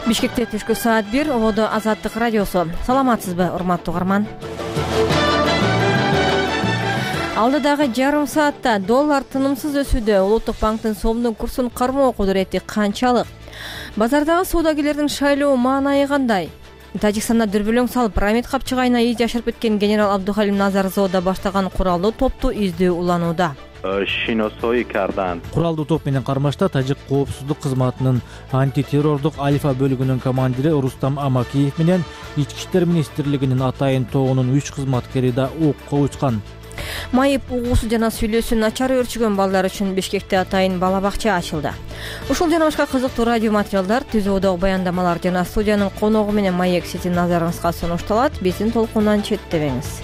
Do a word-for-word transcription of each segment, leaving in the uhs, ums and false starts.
Бишкекте түшкү саат бир, Ободо Азаттык радиосу. Саламатсызбы, урматтуу угарман? Алдыдагы жарым саатта доллар тынымсыз өсүүдө. Улуттук банктын сомдун курсун кармоо кудурети канчалык? Базардагы соодагерлердин шайлоо маанайы кандай? Тажикстанда дүрбөлөң салып, Рамит Капчыгайына ий жашырып кеткен генерал Абдухалим Назарзода баштаган куралдуу топту издөө уланууда. Куралдуу топ менен кармашта Тажик коопсуздук кызматынын антитеррордук Альфа бөлүгүнүн командири Рустам Амакиев менен Ички иштер министрлигинин атайын тобунун үч кызматкери да окко учкан. Майып угуусу жана сүйлөөсү начар өөрчүгөн балдар үчүн Бишкекте атайын бала бакча ачылды. Ушул жана башка кызыктуу радио материалдар, түзүүдөгү баяндамалар жана студиянын коногу менен маек сиздин назарыңызга сунушталат. Биздин толкундан четтебеңиз.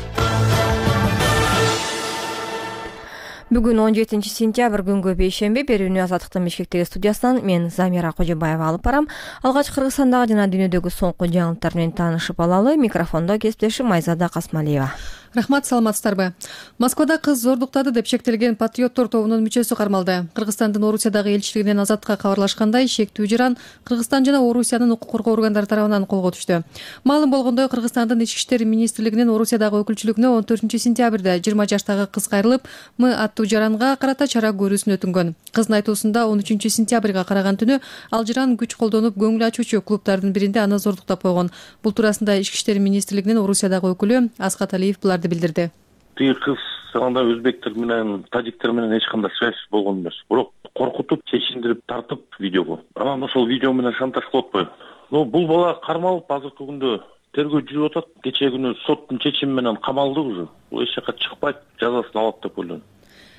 Бүгүн он жетинчи сентябрь күнгө бейшемби. Берүүнү Азаттыктын Бишкектеги студиясынан мен Замира Кожобаева алып барам. Алгач Кыргызстандагы жана дүйнөдөгү соңку жаңылыктар менен таанышып алалы. Микрофондо кесиптешим Майзада Касмалиева. Рахмат, саламатсыздарбы? Москвада кыз зордуктады деп шектелген патриоттор тобунун мүчөсү кармалды. Кыргызстандын Орусиядагы элчилигинен Азаттыкка кабарлашкандай, шектүү жаран Кыргызстан жана Орусиянын укук коргоо органдары тарабынан колго түштү. Маалым болгондой, Кыргызстандын Ички иштер министрлигинин Орусиядагы өкүлчүлүгүнө он төртүнчү сентябрда жыйырма жаштагы кыз кайрылып, М аттуу жаранга карата чара көрүүсүн өтүнгөн. Кыздын айтуусунда он үчүнчү сентябрга караган түнү ал жаран күч колдонуп көңүл ачуучу клубдардын биринде аны зордуктап койгон. Бул туурасында Ички иштер министрлигинин Орусиядагы өкүлү Аскат Алиев буларды билдирди. Тиги кыз анда өзбектер менен, тажиктер менен эч кандай связь болгон эмес. Бирок коркутуп, чечиндирип тартып видеого. Анан ошол видео менен шантаж кылып койгон. Но бул бала кармалып, азыркы күндө тергөө жүрүп атат. Кечээ күнү соттун чечими менен камалды уже. Бул эч жака чыкпайт, жазасын алат деп ойлойм,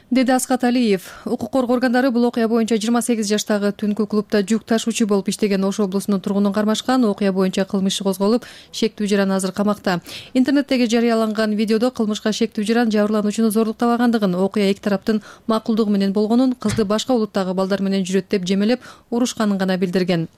деди Аскат Алиев. Укук коргоо органдары бул окуя боюнча жыйырма сегиз жаштагы түнкү клубда жүк ташуучу болуп иштеген Ош облусунун тургунун кармашкан. Окуя боюнча кылмыш иши козголуп, шектүү жаран азыр камакта. Интернеттеги жарыяланган видеодо кылмышка шектүү жаран жабырлануучуну зордуктабагандыгын, окуя эки тараптын макулдугу менен болгонун, кызды башка улуттагы балдар менен жүрөт деп жемелеп урушканын гана билдирген.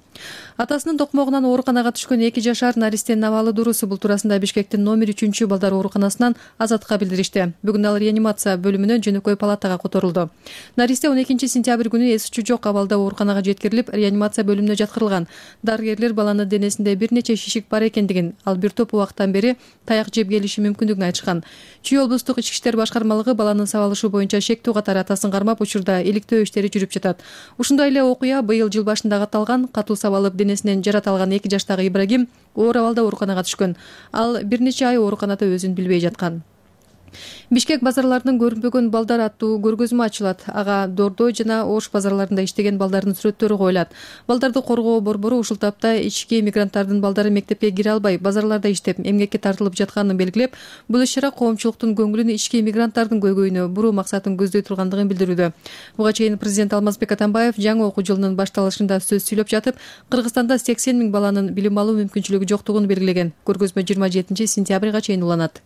Атасынын токмогунан ооруканага түшкөн эки жашар наристенин абалы дуруусу. Бул туурасында Бишкектин номер үчүнчү балдар ооруканасынан Азаттыкка билдиришти. Бүгүн ал реанимация бөлүмүнө жөнөкөй палатага которулду. Наристе он экинчи сентябрь күнү эс учу жок абалда ооруканага жеткирилип, реанимация бөлүмүнө жаткырылган. Дарыгерлер баланын денесинде бир нече шишик бар экендигин, ал бир топ убакыттан бери таяк жеп келиши мүмкүндүгүн айтышкан. Чүй облустук ички иштер башкармалыгы баланын сабалышы боюнча шектүү катары атасын кармап, учурда иликтөө иштери жүрүп жатат. Ушундай эле окуя быйыл жыл башында катталган. Катуу сабалып денесинен жарат алган эки жаштагы Ибрагим оор абалда ооруканага түшкөн. Ал бир нече ай ооруканада өзүн билбей жаткан. Бишкек базарларынын көрүнбөгөн балдар аттуу көргөзмө ачылат. Ага Дордой жана Ош базарларында иштеген балдардын сүрөттөрү коюлат. Балдарды коргоо борбору ушул тапта ички мигранттардын балдары мектепке кире албай, базарларда иштеп, эмгекке тартылып жатканын белгилеп, бул иш-чара коомчулуктун көңүлүн ички мигранттардын көйгөйүнө буруу максатын көздөй тургандыгын билдирүүдө. Буга чейин президент Алмазбек Атамбаев жаңы окуу жылынын башталышында сөз сүйлөп жатып, Кыргызстанда сексен миң баланын билим алуу мүмкүнчүлүгү жоктугун белгилеген. Көргөзмө жыйырма жетинчи сентябрга чейин уланат.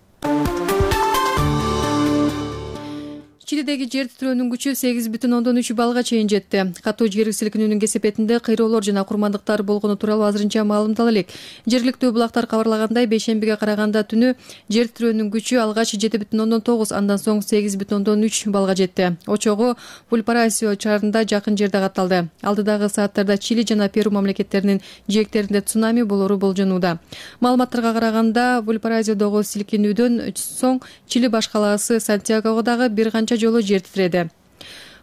Чилидеги жер титирөөнүн күчү сегиз бүтүн ондон үч баллга чейин жетти. Катуу жер силкинүүнүн кесепетинде кыйроолор жана курмандыктар болгону тууралуу азырынча маалымдала элек. Жергиликтүү булактар кабарлагандай, бейшембиге караганда түнү жер титирөөнүн күчү алгач жети бүтүн ондон тогуз, андан соң сегиз бүтүн ондон үч баллга жетти. Очогу Вальпараисио шаарында жакын жерде катталды. Алдыдагы сааттарда Чили жана Перу мамлекеттеринин жээктеринде цунами болору болжонууда. Маалыматтарга караганда, Вальпараисиодогу силкинүүдөн соң Чили баш калаасы Сантьягого дагы бир канча жолу жер титиреди.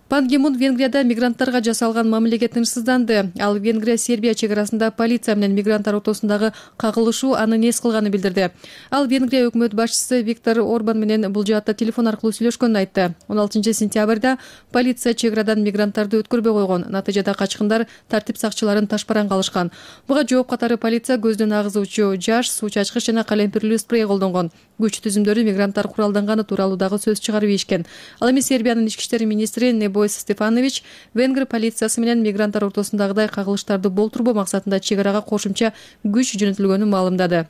Пан Ги Мун Венгрияда мигранттарга жасалган мамилеге тынчсызданды. Ал Венгрия Сербия чек арасында полиция менен мигранттар ортосундагы кагылышуу аны нес кылганын билдирди. Ал Венгрия өкмөт башчысы Виктор Орбан менен бул жаатта телефон аркылуу сүйлөшкөнүн айтты. он алтынчы сентябрда полиция чек арадан мигранттарды өткөрбөй койгон. Натыйжада качкындар тартип сакчыларын ташпараңга алышкан. Буга жооп катары полиция көздөн агызуучу жаш, суу чачкыч жана калемпирлүү спрей колдонгон. Күч түзүмдөрү мигранттар куралданганы тууралуу дагы сөз чыгарып ийишкен. Ал эми Сербиянын ички иштер министри Бойс Стефанович Венгр полициясы менен мигранттар ортосундагыдай кагылыштарды болтурбоо максатында чек арага кошумча күч жөнөтүлгөнүн маалымдады.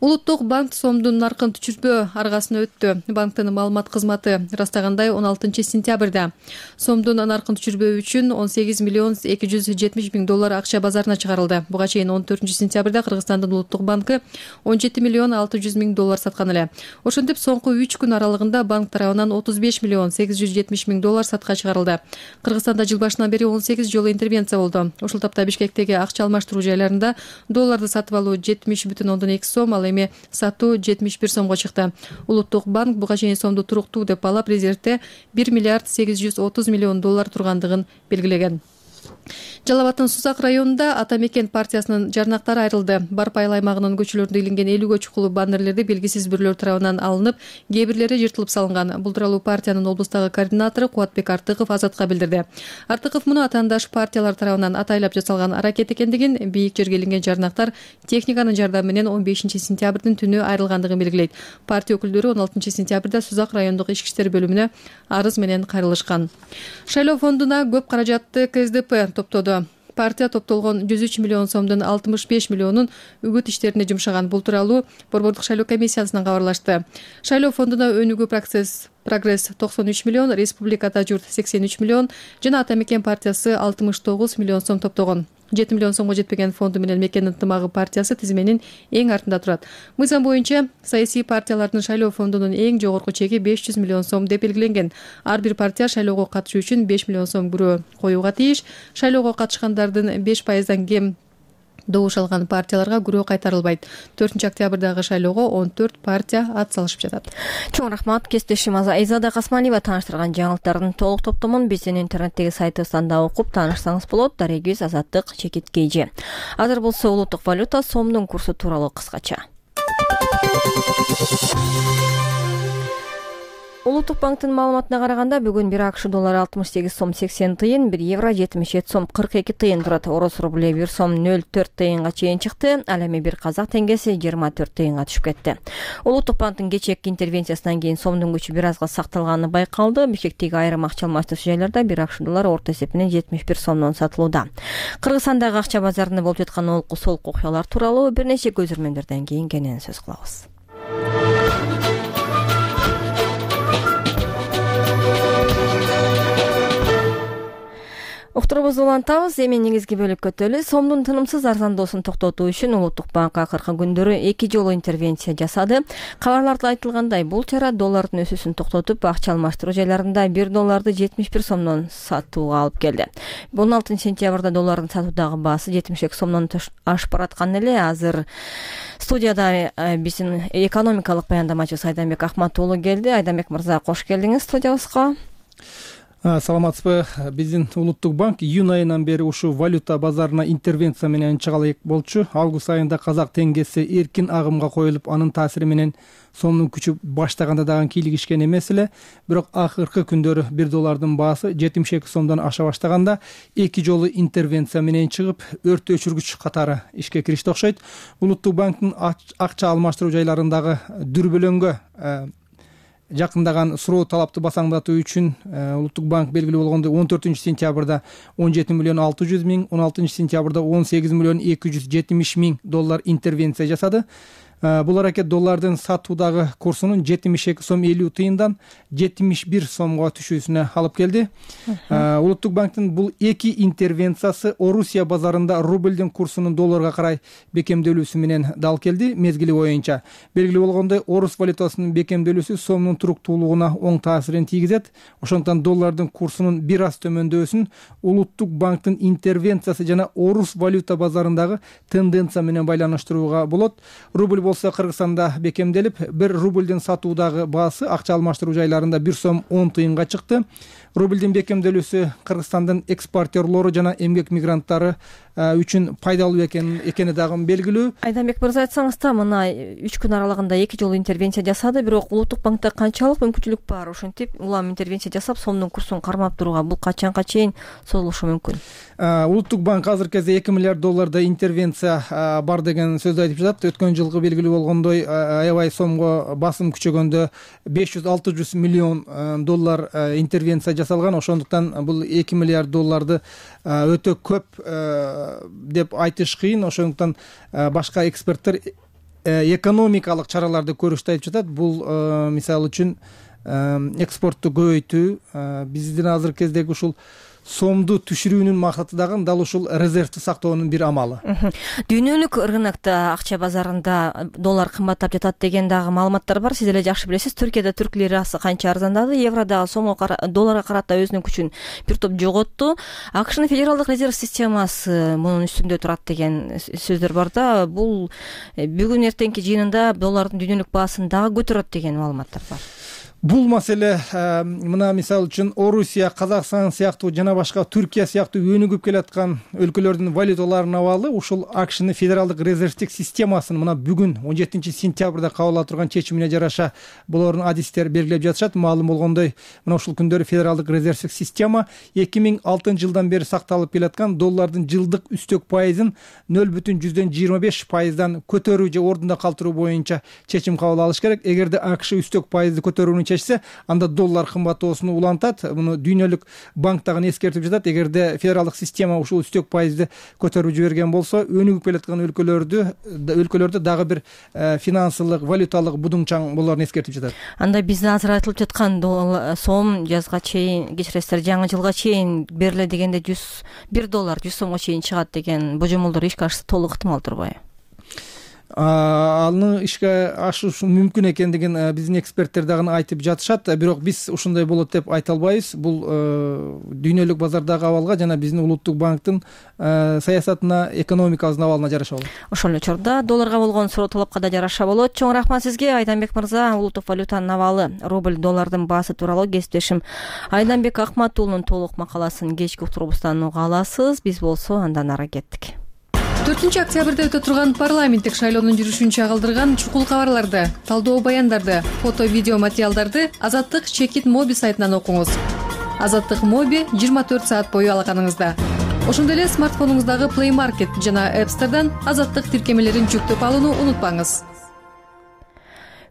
Улуттук банк сомдун наркын түшүрбөө аргасына өттү. Банктын маалымат кызматы ырастагандай он алтынчы сентябрда сомдун наркын түшүрбөө үчүн он сегиз миллион эки жүз жетимиш миң доллар акча базарына чыгарылды. Буга чейин он төртүнчү сентябрда Кыргызстандын улуттук банкы он жети миллион алты жүз миң доллар саткан эле. Ошентип соңку үч күн аралыгында банк тарабынан отуз беш миллион сегиз жүз жетимиш миң доллар сатка чыгарылды. Кыргызстанда жыл башынан бери он сегиз жолу интервенция болду. Ушул тапта Бишкектеги акча алмаштыруу жайларында долларды сатып алуу жетимиш бүтүн ондон эки сом, ал эми сатуу жетимиш бир сомго чыкты. Улуттук банк буга чейин сомду туруктуу деп балап резервде бир миллиард сегиз жүз отуз миллион доллар тургандыгын белгилеген. Жалал Абадтын Сузак районунда Ата Мекен партиясынын жарнактары айрылды. Барп айыл аймагынын көчөлөрүндө илинген элүүгө чукулуу баннерлерди белгисиз бирлөр тарабынан алынып, кээ бирлери жыртылып салынган. Бул тууралуу партиянын облустагы координатору Кубатбек Артыков Азатка билдирди. Артыков муну атаандаш партиялар тарабынан атайлап жасалган аракет экендигин, бийик жерге илинген жарнактар техниканын жардамы менен он бешинчи сентябрдын түнү айрылгандыгын белгилейт. Партия өкүлдөрү он алтынчы сентябрда Сузак райондук ички иштер бөлүмүнө арыз менен кайрылышкан. Шайлоо фондуна көп каражатты К С Д П топтоду. Партия топтолгон жүз үч миллион сомдун алтымыш беш миллионун үгүт иштерине жумшаган. Бул тууралуу Борбордук шайлоо комиссиясынан кабарлашты. Шайлоо фондуна өнүгүү процесс Прогресс токсон үч миллион, Республикада журт сексен үч миллион жана Ата Мекен партиясы алтымыш тогуз миллион сом топтогон. жети миллион сомго жетпеген фонду менен Мекен ынтымагы партиясы тизменин эң артында турат. Мыйзам боюнча саясий партиялардын шайлоо фондунун эң жогорку чеги беш жүз миллион сом деп белгиленген. Ар бир партия шайлоого катышуу үчүн беш миллион сом күрөө коюуга тийиш. Шайлоого катышкандардын беш пайыздан кем добуш алган партияларга күрөө кайтарылбайт. төртүнчү октябрдагы шайлоого он төрт партия ат салышып жатат. Чоң рахмат. Кесиптешим Айзада Касманова тааныштырган жаңылыктардын толук топтомун биздин интернеттеги сайтыбыздан да окуп таанышсаңыз болот. Дарегиз Азаттык Чекиткейжи. Азыр болсо улуттук валюта сомдун курсу тууралуу кыскача. Улуттук банктын маалыматына караганда бүгүн бир АКШ доллары алтымыш сегиз сом сексен тыйын, бир евро жетимиш жети сом кырк эки тыйын турат. Орус рубле бир сом нөл төрт тыйынга чейин чыкты. Ал эми бир казак теңгеси жыйырма төрт тыйынга түшүп кетти. Улуттук банктын кечээки интервенциясынан кийин сомдун күчү бир азга сакталганы байкалды. Бишкектеги айрым акча алмаштыруу жайларда бир АКШ доллары орто эсепинен жетимиш бир сомдон сатылууда. Кыргызстандагы акча базарында болуп жаткан олку солку окуялар тууралуу бир нече көзөрмөндөрдөн кийин кенен сөз кылабыз. Уктурубузду улантабыз. Эми негизги бөлүккө өтөлү. Сомдун тынымсыз арзандоосун токтотуу үчүн Улуттук банк акыркы күндөрү эки жолу интервенция жасады. Кабарларда айтылгандай, бул чара доллардын өсүүсүн токтотуп, акча алмаштыруу жайларында бир долларды жетимиш бир сомдон сатууга алып келди. он алтынчы сентябрда доллардын сатуудагы баасы жетимиш эки сомдон ашып бараткан эле. Азыр студияда биздин экономикалык баяндамачыбыз Айданбек Ахматуулу келди. Айданбек мырза, кош келдиңиз студиябызга. Саламатсызбы. Биздин Улуттук банк июнь айынан бери ушул валюта базарына интервенция менен чыгалы болчу. Август айында казак теңгеси эркин агымга коюлуп, анын таасири менен сомдун күчү баштаганда дагы кийлигишкен эмес эле. Бирок акыркы күндөрү бир доллардын баасы жетимиш эки сомдон аша баштаганда эки жолу интервенция менен чыгып, өрт өчүргүч катары ишке киришти окшойт. Улуттук банктын акча алмаштыруу жайларындагы дүрбөлөңгө жакындаган суроо талапты басаңдатуу үчүн Улуттук банк белгилүү болгондой он төртүнчү сентябрда он жети миллион алты жүз миң, он алтынчы сентябрда он сегиз миллион эки жүз жетимиш миң доллар интервенция жасады. Бул аракет доллардын сатуудагы курсунун жетимиш эки сом элүү тыйындан жетимиш бир сомго түшүүсүнө алып келди. Улуттук банктын бул эки интервенциясы Орусия базарында рубльдин курсунун долларга карай бекемделүүсү менен дал келди. Мезгили боюнча белгилүү болгондой, орус валютасынын бекемделүүсү сомдун туруктуулугуна оң таасирин тийгизет. Ошондуктан доллардын курсунун бир аз төмөндөсүн Улуттук банктын интервенциясы жана орус валюта базарындагы тенденция менен байланыштырууга болот. Рубль болсо Кыргызстанда бекемделип, бир рубльдин сатуудагы баасы акча алмаштыруу жайларында бир сом он тыйынга чыкты. Рубльдин бекемделүүсү Кыргызстандын экспортерлору жана эмгек мигранттары үчүн пайдалуу экени дагы белгилүү. Айданбек мырза, айтсаңыз да, мына үч күн аралыгында эки жолу интервенция жасады, бирок Улуттук банкта канчалык мүмкүнчүлүк бар ошентип улам интервенция жасап сомдун курсун кармап туруга? Бул качанга чейин созулушу мүмкүн? Улуттук банк азыркы кезде эки миллиард долларда интервенция бар деген сөздү айтып жатат. Өткөн жылкы белгилүү болгондой, аябай сомго басым күчөгөндө беш жүз алты жүз миллион доллар интервенция жасалган. Ошондуктан бул эки миллиард долларды өтө көп деп айтыш кыйын. Ошондуктан башка эксперттер экономикалык чараларды көрүштү айтып жатат. Бул мисалы үчүн экспортту көбөйтүү, биздин азыркы кездеги ушул сомду түшүрүүнүн максаты дагы дал ушул резервти сактоонун бир амалы. Дүйнөлүк рынокто акча базарында доллар кымбаттап жатат деген дагы маалыматтар бар. Сиз эле жакшы билесиз. Түркияда түрк лирасы канча арзандады, евро дагы сомго долларга карата өзүнүн күчүн бир топ жоготту. АКШнын федералдык резерв системасы мунун үстүндө турат деген сөздөр бар да. Бул бүгүн эртеңки жыйынында доллардын дүйнөлүк баасын дагы көтөрөт деген маалыматтар бар. Бул маселе мына мисалы үчүн Орусия, Казакстан сыяктуу жана башка Түркия сыяктуу өнүгүп келаткан өлкөлөрдүн валюталарына абалы ушул АКШнын федералдык резервтик системасын мына бүгүн он жетинчи сентябрда кабыл алып турган чечимине жараша булардын адистери белгилеп жатышат. Маалым болгондой, мына ушул күндөрү федералдык резервтик система эки миң алтынчы жылдан бери сакталып келаткан доллардын жылдык үстөк пайызын нөл бүтүн жүздөн жыйырма беш пайыздан көтөрүү же ордунда калтыруу боюнча чечим кабыл алыш керек. Эгерде АКШ үстөк пайызды көтөрүүнү анда доллар кымбаттоосуну улантат. Муну дүйнөлүк банк дагы эскертип жатат. Эгерде федералдык система ушул үстөк пайызды көтөрүп жиберген болсо, өнүгүп келаткан өлкөлөрдү өлкөлөрдө дагы бир финансылык, валюталык будуңчаң болоорун эскертип жатат. Анда бизде азыр айтылып жаткан сом жазга чейин, кечиресиздер, жаңы жылга чейин бериле дегенде жүз бир доллар жүз сомго чейин чыгат деген божомолдор ишке ашса толук ыктымал турбайбы? Аны ишке ашышы мүмкүн экендигин биздин эксперттер дагы айтып жатышат. Бирок биз ушундай болот деп айта албайбыз. Бул дүйнөлүк базардагы абалга жана биздин улуттук банктын саясатына, экономикабыздын абалына жараша болот. Ошол эле учурда долларга болгон суроо талапка да жараша болот. Чоң рахмат сизге, Айданбек мырза. Улуттук валютанын абалы, рубль доллардын баасы тууралуу кесиптешим Айданбек Акматуулунун толук макаласын кечки уктурубуздан уга аласыз. Биз болсо андан ары кеттик. төртүнчү октябрда өтө турган парламенттик шайлоонун жүрүшүн чагылдырган чукул кабарларды, талдоо баяндарды, фото видео материалдарды Азаттык Чекит Моби сайтынан окуңуз. Азаттык Моби жыйырма төрт саат бою алаканыңызда. Ошондой эле смартфонуңуздагы Play Market жана App Store'дан Азаттык тиркемелерин жүктөп алууну унутпаңыз.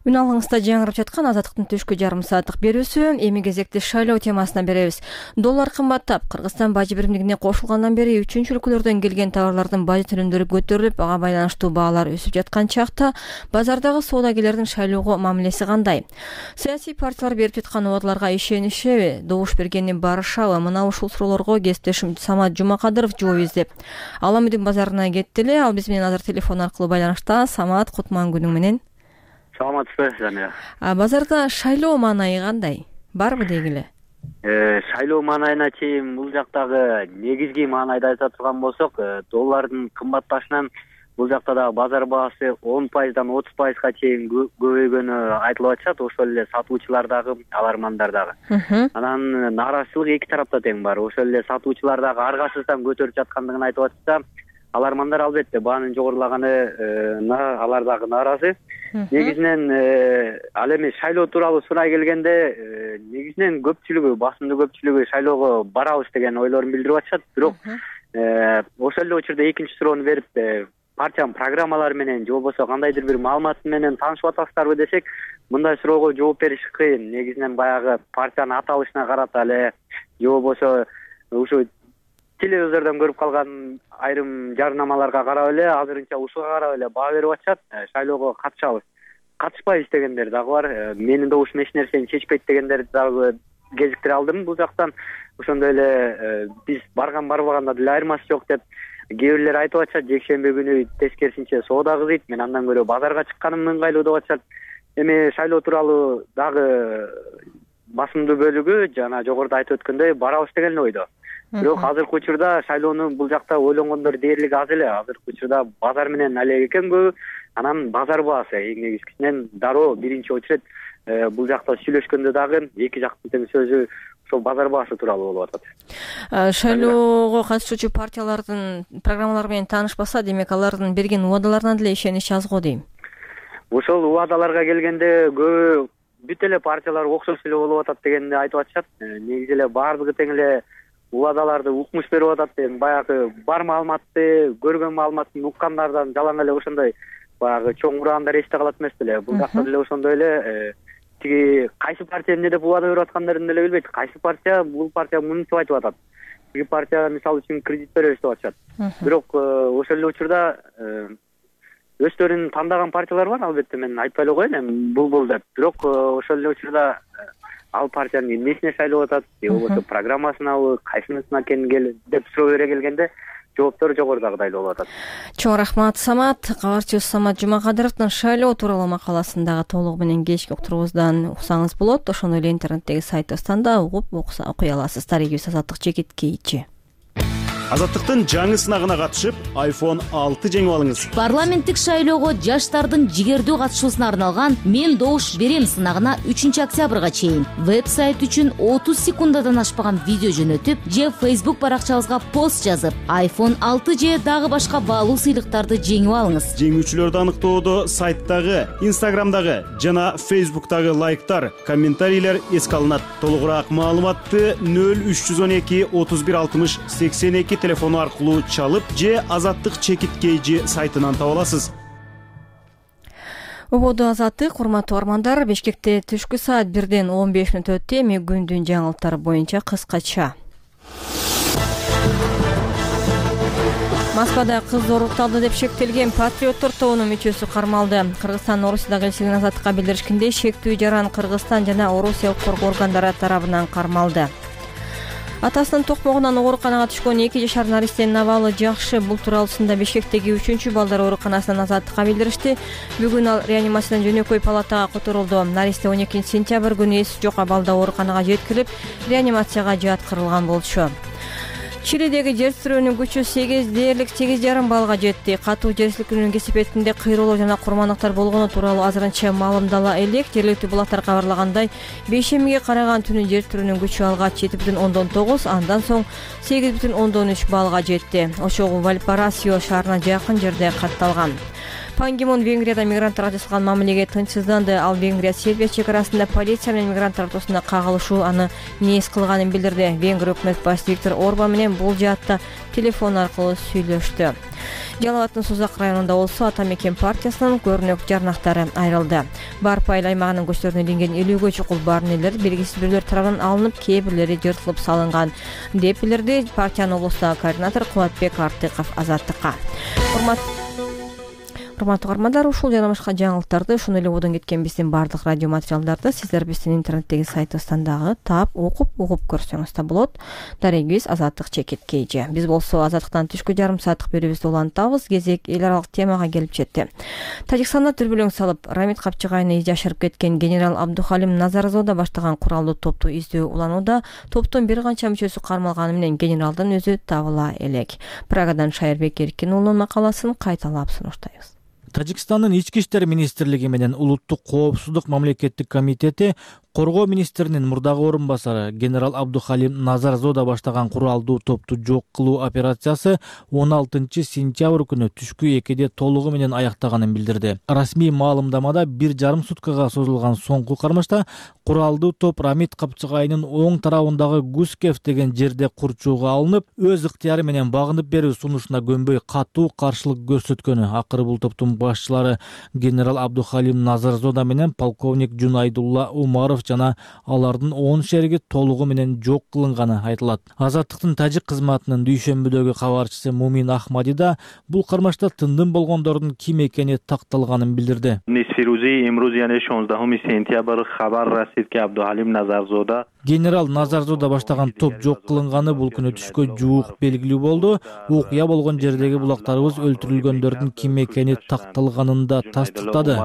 Үн алыңызда жаңырып жаткан Азаттыктын түшкү жарым сааттык берүүсү. Эми кезекти шайлоо темасына беребиз. Доллар кымбаттап, Кыргызстан бажы биримдигине кошулгандан бери үчүнчү өлкөлөрдөн келген товарлардын бажы төлөмдөрү көтөрүлүп, ага байланыштуу баалар өсүп жаткан чакта базардагы соодагерлердин шайлоого мамилеси кандай? Саясий партиялар берип жаткан убадаларга ишенишеби, добуш бергени барышабы? Мына ушул суроолорго кесиптешим Самат Жумакадыров жооп издеп Аламүдүн базарына кетти эле. Ал биз менен азыр телефон аркылуу байланышта. Самат, кутман күнүң менен. Саламатсызбы, Жамия? Базарда шайлоо маанайы кандай? Барбы дегиле? Э, шайлоо маанайына чейин бул жактагы негизги маанайды айта турган болсок, доллардын кымбатташынан бул жакта да базар баасы он пайыздан отуз пайызга чейин көбөйгөнү айтылып атышат. Ошол эле сатуучулар дагы, алармандар дагы. Анан нааразычылык эки тарапта тең бар. Ошол эле сатуучулар дагы аргасыздан көтөрүп жаткандыгын айтып атышса, алармандар албетте баанын жогорулаганына алар дагы нааразы. Негизинен ал эми шайлоо тууралуу сурай келгенде, негизинен көпчүлүгү, басымдуу көпчүлүгү шайлоого барабыз деген ойлорун билдирип атышат. Бирок ошол эле учурда экинчи суроону берип, партиянын программалары менен же болбосо кандайдыр бир маалымат менен таанышып атасыздарбы десек, мындай суроого жооп бериш кыйын. Негизинен баягы партиянын аталышына карата эле же болбосо ушу телевизордон көрүп калган айрым жарнамаларга карап эле, азырынча ушуга карап эле баа берип атышат. Шайлоого катышабыз, катышпайбыз дегендер дагы бар. Менин добушум эч нерсени чечпейт дегендер дагы кезиктире алдым бул жактан. Ошондой эле биз барган барбаганда деле айырмасы жок деп кээ бирлер айтып атышат. Жекшемби күнү тескерисинче соода кызыйт, мен андан көрө базарга чыкканым ыңгайлуу деп атышат. Эми шайлоо тууралуу дагы басымдуу бөлүгү жана жогоруда айтып өткөндөй барабыз деген ойдо. Бирок азыркы учурда шайлоону бул жакта ойлонгондор дээрлик аз эле. Азыркы учурда базар менен алек экен көбү. Анан базар баасы эң негизгисинен дароо биринчи очередь бул жакта сүйлөшкөндө дагы эки жактын тең сөзү ошол базар баасы тууралуу болуп атат. Шайлоого катышуучу партиялардын программалары менен таанышпаса, демек алардын берген убадаларына деле ишенич аз го дейм. Ошол убадаларга келгенде көбү бүт эле партиялар окшош эле болуп атат дегенди айтып атышат. Негизи эле баардыгы тең эле убадаларды укмуш берип атат. Эми баягы бар маалыматты, көргөн маалыматтын уккандардан жалаң эле ошондой баягы чоң ураандар эсте калат эмес деле. Бул жакта деле ошондой эле тиги кайсы партия эмне деп убада берип аткандарын деле билбейт. Кайсы партия бул партия мынтип айтып атат. Тиги партия мисалы үчүн кредит беребиз деп атышат. Бирок ошол эле учурда өздөрүн тандаган партиялар бар, албетте мен айтпай эле коеюн эми бул деп. Бирок ошол эле учурда ал партиянын эмнесине шайлап атат же болбосо программасынабы, кайсынысына экен деп суроо бере келгенде жооптор жогорудагыдай болуп атат. Чоң рахмат, Самат. Кабарчыбыз Самат Жумакадыровдун шайлоо тууралуу макаласындагы толугу менен кечки уктуруубуздан уксаңыз болот. Ошону эле интернеттеги сайтыбыздан да угуп окуй аласыз. Таригибиз Азаттык Чекит Кейчи. Азаттыктын жаңы сынагына катышып, айфон алты жеңип алыңыз. Парламенттик шайлоого жаштардын жигердүү катышуусуна арналган Мен добуш берем сынагына үчүнчү октябрга чейин веб-сайт үчүн отуз секундадан ашпаган видео жөнөтүп же Facebook баракчабызга пост жазып, айфон алты же дагы башка баалуу сыйлыктарды жеңип алыңыз. Жеңүүчүлөрдү аныктоодо сайттагы, Instagramдагы жана Facebook'тагы лайктар, комментарийлер эске алынат. Толугураак маалыматты нөл үч жүз он эки отуз бир алтымыш сексен эки телефону аркылуу чалып же Азаттык Чекит Кейжи сайтынан таба аласыз. Убоду Азаттык, урматтуу армандар, Бишкекте түшкү саат бирден он беш мүнөт өттү. Эми күндүн жаңылыктары боюнча кыскача. Москвада кыз зорукталды деп шектелген патриоттор тобунун мүчөсү кармалды. Кыргызстан Орусияда элчилигинин Азаттыкка билдиришкендей, шектүү жаран Кыргызстан жана Орусия коргоо органдары тарабынан кармалды. Атасынын токмогунан ооруканага түшкөн эки жашар наристенин абалы жакшы. Бул тууралуусунда Бишкектеги үчүнчү балдар ооруканасынан Азаттыкка билдиришти. Бүгүн ал реанимациядан жөнөкөй палатага которулду. Наристе он экинчи сентябрь күнү эси жок абалда ооруканага жеткирилип, реанимацияга жаткырылган болчу. Чилидеги жер титирөөнүн күчү сегиз дээрлик сегиз жарым баллга жетти. Катуу жер силкинүүнүн кесипетинде кыйроолор жана курмандыктар болгону тууралуу азырынча маалымдала элек. Жергиликтүү булактар кабарлагандай, бейшембиге караган түнү жер титирөөнүн күчү алгач жети бүтүн ондон тогуз, андан соң сегиз бүтүн ондон үч баллга жетти. Ошогу Вальпарасио шаарына жакын жерде катталган. Пан Ги Мун Венгрияда мигранттарга жасалган мамилеге тынчсызданды. Ал Венгрия Сербия чек арасында полиция менен мигранттар ортосунда кагылышуу аны нээс кылганын билдирди. Венгрия өкмөт башчысы Виктор Орбан менен бул жаатта телефон аркылуу сүйлөштү. Жалал Абадтын Сузак районунда болсо Ата Мекен партиясынын көрүнөк жарнактары айрылды. Барпайыл аймагынын көчөлөрүнө илинген элүүгө чукул барнелер белгисиз бирлер тарабынан алынып, кээ бирлери жыртылып салынган деп билдирди партиянын облустагы координатор Кубатбек Артыков Азаттыкка. Урматтуу армандар, ушул жана башка жаңылыктарды, ошону эле бодон кеткен биздин баардык радио материалдарды сиздер биздин интернеттеги сайтыбыздан дагы таап, окуп, угуп көрсөңүз да болот. Дарегибиз Азаттык Чекит Кейжи. Биз болсо Азаттыктан түшкү жарым сааттык берүүбүздү улантабыз. Кезек эл аралык темага келип жетти. Тажикстанда дүрбөлөң салып, Рамит Капчыгайны жашырып кеткен генерал Абдухалим Назарзода баштаган куралдуу топту издөө уланууда. Топтун бир канча мүчөсү кармалганы менен генералдын өзү табыла элек. Прагадан Шайырбек Эркин уулунун макаласын кайталап сунуштайбыз. Тажикстандын ички иштер министрлиги менен улуттук коопсуздук мамлекеттик комитети коргоо министринин мурдагы орун басары генерал Абдухалим Назарзода баштаган куралдуу топту жок кылуу операциясы он алтынчы сентябрь күнү түшкү экиде толугу менен аяктаганын билдирди. Расмий маалымдамада бир жарым суткага созулган соңку кармашта куралдуу топ Рамит Капчыгайнын оң тарабындагы Гускев деген жерде курчууга алынып, өз ыктыяры менен багынып берүү сунушуна көнбөй катуу каршылык көрсөткөнү. Акыры бул топтун башчылары генерал Абдухалим Назарзода менен полковник Жунайдулла Умаров жана алардын он шериги толугу менен жок кылынганы айтылат. Азаттыктын тажик кызматынын дүйшөмбүдөгү кабарчысы Мумин Ахмади да бул кармашта тындым болгондордун ким экени такталганын билдирди. Нисфирузи имруз яны шонздаҳуми сентябр хабар расид ки Абдухалим Назарзода генерал Назарзода баштаган топ жок кылынганы бул күнү түшкө жуук белгилүү болду. Окуя болгон жердеги булактарыбыз өлтүрүлгөндөрдүн ким экени такталганын да тастыктады.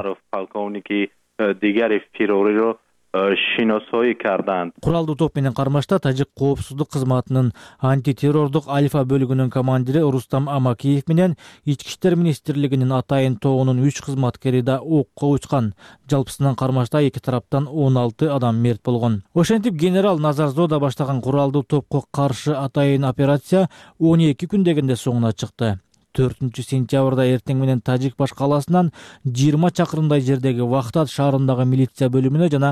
Куралдуу топ менен кармашта тажик коопсуздук кызматынын антитеррордук Альфа бөлүгүнүн командири Рустам Амакиев менен ички иштер министрлигинин Атайын тобунун үч кызматкери да окко учкан. Жалпысынан кармашта эки тараптан он алты адам мерт болгон. Ошентип генерал Назарзода баштаган куралдуу топко каршы Атайын операция он эки күн дегенде соңуна чыкты. төртүнчү сентябрда эртең менен Тажик баш калаасынан жыйырма чакырымдай жердеги Вахтат шаарындагы милиция бөлүмүнө жана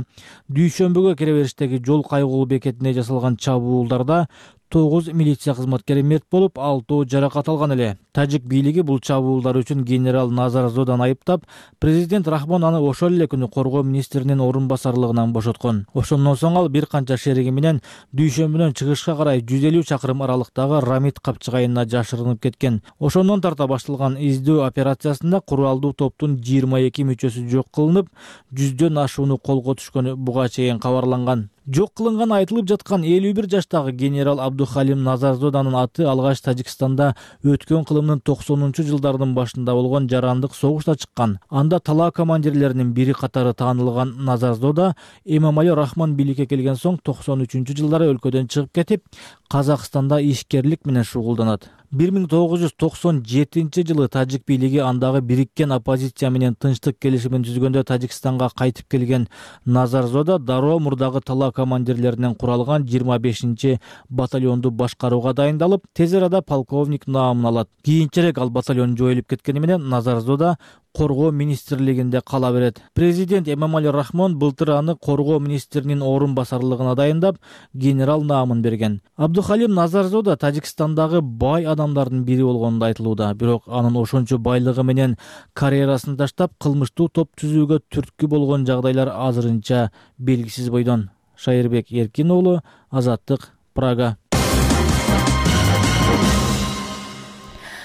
дүйшөмбүгө кире бериштеги жол кайгылуу бекетине жасалган чабуулдарда тогуз милиция кызматкери мерт болуп, алтоо жаракат алган эле. Тажик бийлиги бул чабуулдар үчүн генерал Назар Зоданы айыптап, президент Рахмон аны ошол эле күнү коргоо министринин орун басарлыгынан бошоткон. Ошондон соң ал бир канча шериги менен Дүйшөмбүдөн чыгышка карай жүз элүү чакырым аралыктагы Рамит капчыгайына жашырынып кеткен. Ошондон тарта башталган издөө операциясында куралдуу топтун жыйырма эки мүчөсү жок кылынып, жүздөн ашууну колго түшкөнү буга чейин кабарланган. Жок кылынганы айтылып жаткан элүү бир жаштагы генерал Абдухалим Назарзоданын аты алгач Тажикстанда өткөн кылымдын токсонунчу жылдардын башында болгон жарандык согушта чыккан. Анда талаа командирлеринин бири катары таанылган Назарзода Эмомали Рахмон бийликке келген соң токсон үчүнчү жылдары өлкөдөн чыгып кетип, Казакстанда ишкерлик менен шугулданат. бир миң тогуз жүз токсон жетинчи жылы тажик бийлиги андагы бириккен оппозиция менен тынчтык келишимин түзгөндө Тажикстанга кайтып келген Назарзода дароо мурдагы талаа командирлеринен куралган жыйырма бешинчи батальонду башкарууга дайындалып, тез арада полковник наамын алат. Кийинчерээк ал батальон жоюлуп кеткени менен Назарзода коргоо министрлигинде кала берет. Президент Эмомали Рахмон былтыр аны коргоо министринин орун басарлыгына дайындап, генерал наамын берген. Абдухалим Назарзода Тажикстандагы бай адамдардын бири болгону айтылууда, бирок анын ошончо байлыгы менен карьерасын таштап, кылмыштуу топ түзүүгө түрткү болгон жагдайлар азырынча белгисиз бойдон. Шайырбек Эркин уулу, Азаттык, Прага.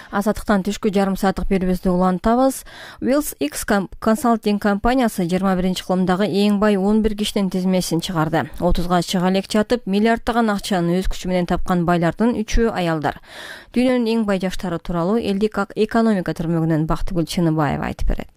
Азаттыктан түшкү жарым сааттык берүүбүздү улантабыз. Wills X консалтинг компаниясы жыйырма биринчи кылымдагы эң бай он бир кишинин тизмесин чыгарды. отузга чыга элек жатып, миллиарддаган акчаны өз күчү менен тапкан байлардын үчөө аялдар. Дүйнөнүн эң бай жаштары тууралуу элдик экономика түрмөгүнөн Бактыгүл Чыныбаева айтып берет.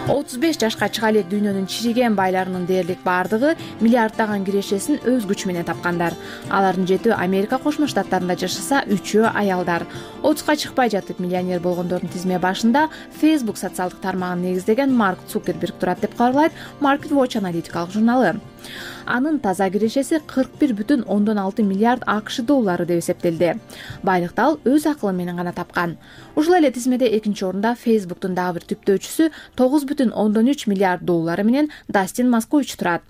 отуз беш жашка чыга элек дүйнөнүн чириген байларынын дээрлик баардыгы миллиарддаган кирешесин өз күчү менен тапкандар. Алардын жетөө Америка Кошмо Штаттарында жашаса, үчөө аялдар. отузга чыкпай жатып миллионер болгондордун тизме башында Facebook социалдык тармагын негиздеген Марк Цукерберг турат деп кабарлайт Market Watch аналитикалык журналы. Анын таза кирешеси кырк бир бүтүн ондон алты миллиард АКШ доллары деп эсептелди. Байлыкты ал өз акылы менен гана тапкан. Ушул эле тизмеде экинчи орунда Facebooktун дагы бир түптөөчүсү тогуз бүтүн ондон үч миллиард доллары менен Дастин Маскович турат.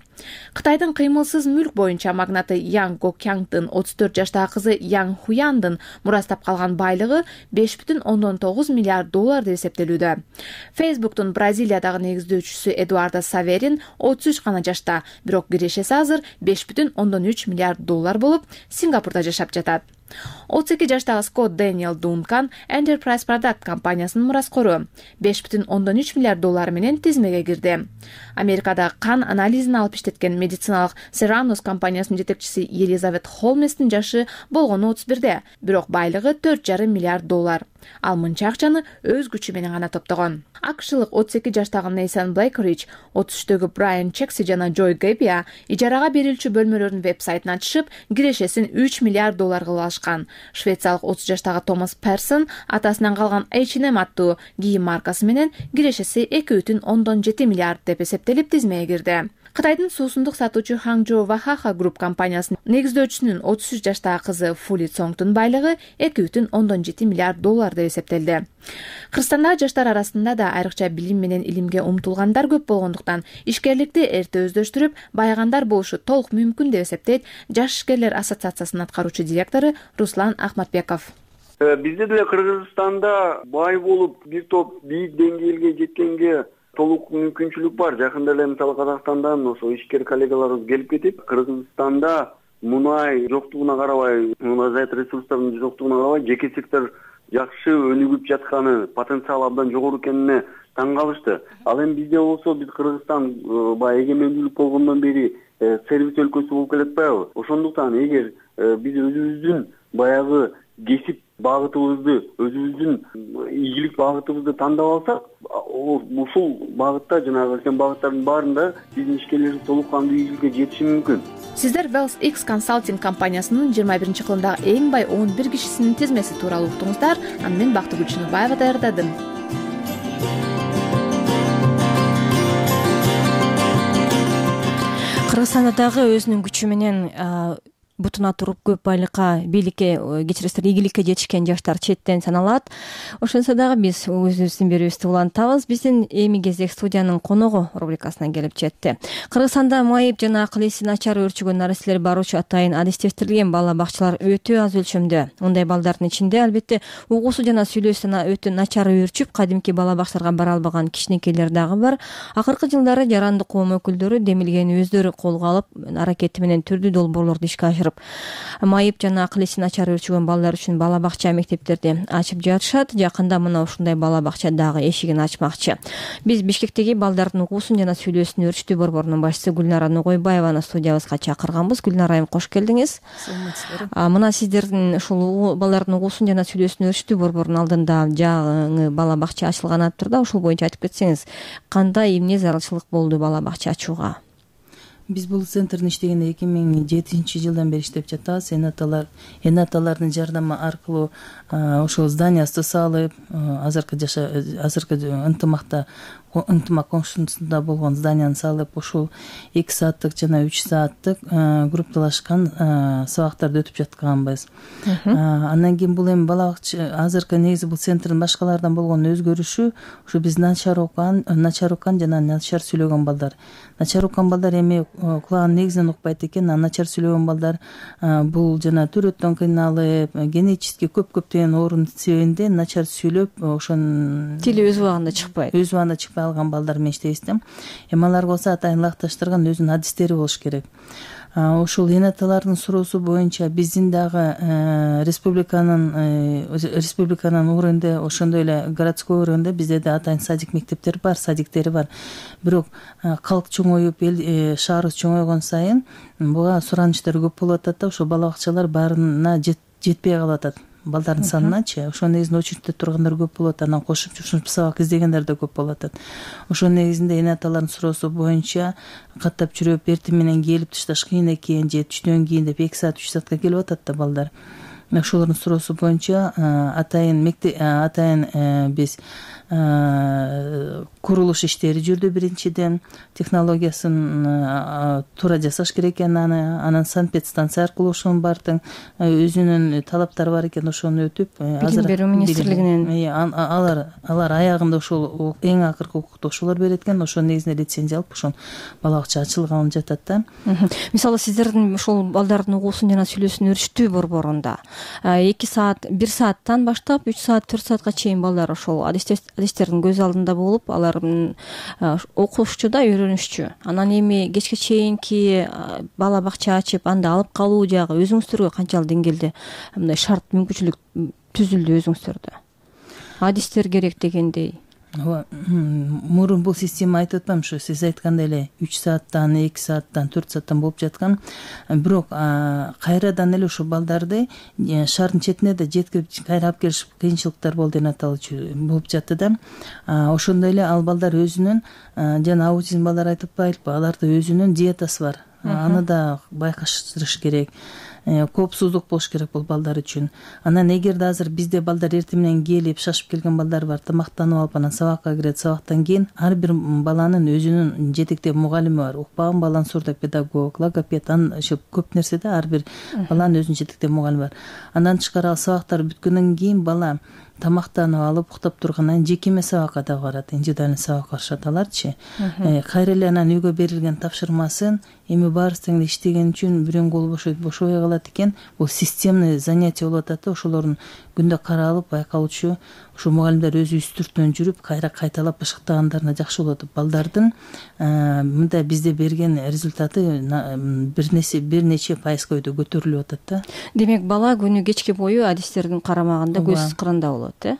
Кытайдын кыймылсыз мүлк боюнча магнаты Ян Гокянгдын отуз төрт жаштагы кызы Ян Хуяндын мурастап калган байлыгы беш бүтүн ондон тогуз миллиард доллар деп эсептелүүдө. Facebooktун Бразилиядагы негиздөөчүсү Эдуардо Саверин отуз үч гана жашта, бирок кирешеси азыр беш бүтүн ондон үч миллиард доллар болуп, Сингапурда жашап жатат. отуз эки жаштагы Скотт Дэниел Дункан Enterprise Product компаниясынын мураскору беш бүтүн ондон үч миллиард доллар менен тизмеге кирди. Америкада кан анализин алып иштеткен медициналык Serranos компаниясынын жетекчиси Елизавет Холместин жашы болгону отуз бирде, бирок байлыгы төрт жарым миллиард доллар. Ал мынча акчаны өз күчү менен гана топтогон. акшылык отуз эки жаштагы Нейсан Блейкрич, отуз үчтөгү Брайан Чекси жана Джой Гэбия ижарага берилчү бөлмөлөрдүн веб-сайтын ачышып, кирешесин үч миллиард доллар кылып алышкан. Швециялык отуз жаштагы Томас Персон атасынан калган эйч энд эм аттуу кийим маркасы менен кирешеси эки бүтүн ондон жети миллиард деп эсептелип тизмеге кирди. Кытайдын суусундук сатуучу Hangzhou Wahaha Group компаниясынын негиздөөчүсүнүн отуз үч жаштагы кызы Фули Цонгдун байлыгы эки бүтүн ондон жети миллиард доллар деп эсептелди. Кыргызстандагы жаштар арасында да айрыкча билим менен илимге умтулгандар көп болгондуктан ишкерликти эрте өздөштүрүп, байыгандар болушу толук мүмкүн деп эсептейт Жаш ишкерлер ассоциациясынын аткаруучу директору Руслан Ахматбеков. Бизде деле Кыргызстанда бай болуп, бир топ бийик деңгээлге жеткенге толук мүмкүнчүлүк бар. Жакында эле мисалы Казакстандан ошо ишкер коллегаларыбыз келип кетип, Кыргызстанда мунай жоктугуна карабай, мунайзайт ресурстардын жоктугуна карабай, жеке сектор жакшы өнүгүп жатканы, потенциал абдан жогору экенине таң калышты. Ал эми бизде болсо, биз Кыргызстан баягы эгемендүүлүк болгондон бери сервис өлкөсү болуп келатпайбы? Ошондуктан эгер биз өзүбүздүн баягы кесип багытыбызды, өзүбүздүн ийгилик багытыбызды тандап алсак, ушул багытта жанагы өткөн багыттардын баарында биздин ишкерлерибиз толук кандуу ийгиликке жетиши мүмкүн. Сиздер Wills X консалтинг компаниясынын жыйырма биринчи кылымдагы эң бай он бир кишисинин тизмеси тууралуу уктуңуздар. Аны мен Бактыгүл Чыныбаева даярдадым. Кыргызстанда дагы өзүнүн күчү менен бутуна туруп көп байлыкка, бийликке, кечиресиздер, ийгиликке жетишкен жаштар четтен саналат. Ошентсе дагы биз өзүбүздүн берүүбүздү улантабыз. Биздин эми кезек студиянын коногу рубрикасына келип жетти. Кыргызстанда майып жана акыл эси начар өөрчүгөн нареселер баруучу атайын адистештирилген бала бакчалар өтө аз өлчөмдө. Мындай балдардын ичинде албетте угуусу жана сүйлөөсү өтө начар өөрчүп, кадимки бала бакчаларга бара албаган кичинекейлер дагы бар. Акыркы жылдары жарандык коом өкүлдөрү демилгени өздөрү колго алып, аракети менен түрдүү долбоорлорду ишке ашырып, майып жана акыл эси начар өөрчүгөн балдар үчүн бала бакча мектептерди ачып жатышат. Жакында мына ушундай бала бакча дагы эшигин ачмакчы. Биз Бишкектеги балдардын угуусун жана сүйлөөсүн өөрчүтүү борборунун башчысы Гүлнара Нугойбаеваны студиябызга чакырганбыз. Гүлнара айым, кош келдиңиз. Мына сиздердин ушул балдардын угуусун жана сүйлөөсүн өөрчүтүү борборунун алдында жаңы бала бакча ачылган атып да, ошол боюнча айтып кетсеңиз, кандай эмне зарылчылык болду бала бакча ачууга? Биз бул центрдин иштегенде эки миң жетинчи жылдан бери иштеп жатабыз. Энаталар, энаталардын жардамы аркылуу ошол зданиясы салып, азыркы жаша азыркы ынтымакта ынтымак коңшусунда болгон зданияны салып, ошол эки сааттык жана үч сааттык группалашкан сабактарды өтүп жатканбыз. Андан кийин бул эми бала бакча азыркы негизи бул центрдин башкалардан болгон өзгөрүшү ушу биз начар окуган, начар уккан жана начар сүйлөгөн балдар. Начар уккан балдар эми кулагын негизинен укпайт экен, а начар сүйлөгөн балдар бул жана төрөттөн кыйналып, генетически көп-көптөгөн оорунун себебинде начар сүйлөп, ошонун тили өз убагында чыкпайт. Өз убагында чыкпай алган балдар менен иштейбиз да. Эми аларга болсо атайын ылайыкташтырган өзүнүн адистери болуш керек. Ошол энаталардын суроосу боюнча биздин дагы республиканын республиканын уровенде, ошондой эле городской уровенде бизде да атайын садик мектептери бар, садиктери бар. Бирок калк чоңоюп, эл шаарыбыз чоңойгон сайын буга суранычтар көп болуп атат да, ошол бала бакчалар баарына жетпей калып атат. Балдардын саныначы, ошол негизинде очередте тургандар көп болот, анан кошумча сабак издегендер да көп болуп атат. Ошол негизинде энаталардын суроосу боюнча каттап жүрүп, эртең менен келип ташташ кыйын экен, же түштөн кийин деп эки саат үч саатка келип атат да балдар. Ошолордун суроосу боюнча атайын мектеп атайын биз курулуш иштери жүрдү. Биринчиден технологиясын туура жасаш керек экен, аны анан санпедстанция аркылуу ошонун баардыгын өзүнүн талаптары бар экен, ошону өтүп, билим берүү министрлигинен алар алар аягында ошол эң акыркы укукту ошолор берет экен. Ошол негизинде лицензия алып, ошон бала бакча ачылган жатат да. Мисалы сиздердин ушул балдардын угуусун жана сүйлөөсүн өөрчүтүү борборунда эки саат, бир сааттан баштап үч саат, төрт саатка чейин балдар ошол адистердин көз алдында болуп, алар окушчу да, үйрөнүшчү. Анан эми кечке чейинки бала бакча ачып, анда алып калуу жагы өзүңүздөргө канчалык деңгээлде мындай шарт мүмкүнчүлүк түзүлдү өзүңүздөрдө? Адистер керек дегендей. Ооба, мурун бул система айтып атпаймынбы, ушу сиз айткандай эле үч сааттан, эки сааттан, төрт сааттан болуп жаткан. Бирок кайрадан эле ушул балдарды шаардын четине да жеткирип кайра алып келиш кыйынчылыктар болду, энатал болуп жатты да. Ошондой эле ал балдар өзүнүн, жана аутизм балдар айтып атпайлыкпы, аларда өзүнүн диетасы бар. Аны да байкаштырыш керек. Коопсуздук болуш керек бул балдар үчүн. Анан эгерде азыр бизде балдар эртең менен келип, шашып келген балдар бар, тамактанып алып, анан сабакка кирет, сабактан кийин ар бир баланын өзүнүн жетектеп мугалими бар. Укпаган баланын сурдопедагог, логопед, ошо көп нерседе ар бир баланын өзүнүн жетектеп мугалими бар. Андан тышкары ал сабактар бүткөндөн кийин бала тамактанып алып, уктап тургандан жеке эме сабакка да барат, индивидуальный сабакка барышат аларчы. Кайра эле анан үйгө берилген тапшырмасын эми баарыбыз иштеген үчүн бирөөнүн колу бошойт, бошобой калат экен. Бул системный занятие болуп атат да, ошолордун күндө каралып, байкалчу, ошо мугалимдер өзү үстүртөн жүрүп, кайра кайталап бышыктагандарына жакшы болот. Балдардын мындай бизде берген результаты бир нече бир нече пайызга өтө көтөрүлүп атат да. Демек бала күнү кечке бою адистердин карамагында, көз кырында болот, э?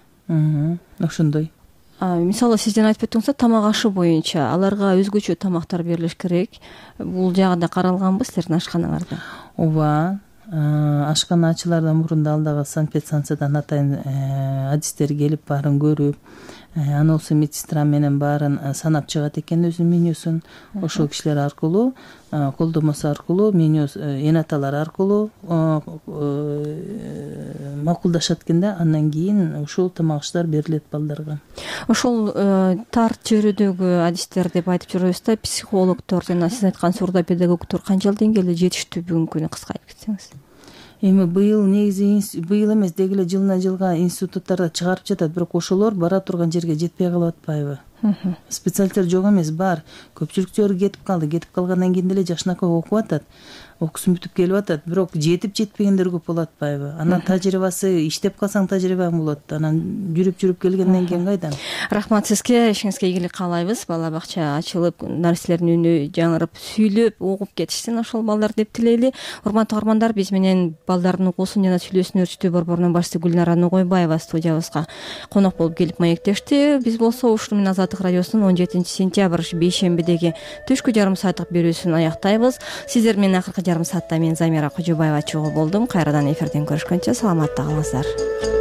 Ошондой. Мисалы сиздин айтып өттүңүз, тамак ашы боюнча аларга өзгөчө тамактар берилиш керек. Бул жагы да каралганбы силердин ашканаңарда? Ооба, ашкана ачылардан мурун да ал дагы санпедстанциядан атайын адистер келип баарын көрүп, анысы медсестра менен баарын санап чыгат экен өзүнүн менюсун. Ошол кишилер аркылуу, колдомосу аркылуу, меню энаталар аркылуу макулдашат экен да, андан кийин ушул тамак аштар берилет балдарга. Ошол тар чөйрөдөгү адистер деп айтып жүрөбүз да, психологдор жана сиз айткан сурдопедагогдор канчалык деңгээлде жетиштүү бүгүнкү күнү, кыска айтып кетсеңиз? Эми быйыл негизи быйыл эмес, деги эле жылына жылга институттарда чыгарып жатат, бирок ошолор бара турган жерге жетпей калып атпайбы? Специалисттер жок эмес, бар. Көпчүлүктөр кетип калды. Кетип калгандан кийин деле жакшынакай окуп атат. Окуусун бүтүп келип атат, бирок жетип жетпегендер көп болуп атпайбы? Анан тажрыйбасы, иштеп калсаң тажрыйбаң болот. Анан жүрүп-жүрүп келгенден кийин кайдан? Рахмат сизге, ишиңизге ийгилик каалайбыз. Бала бакча ачылып, нарселердин үнү жаңырып, сүйлөп, угуп кетишсин ошол балдар деп тилейли. Урматтуу угармандар, биз менен балдардын окуусун жана сүйлөсүн өрчүтүү борборунун башчысы Гүлнара Ногойбаева студиябызга конок болуп келип маектешти. Биз болсо ушуну менен Азаттык радиосунун он жетинчи сентябрь бейшембидеги түшкү жарым сааттык берүүсүн аяктайбыз. Сиздер менен акыркы жарым саатта мен Замира Кожобаева чогуу болдум. Кайрадан эфирден көрүшкөнчө саламатта калыңыздар.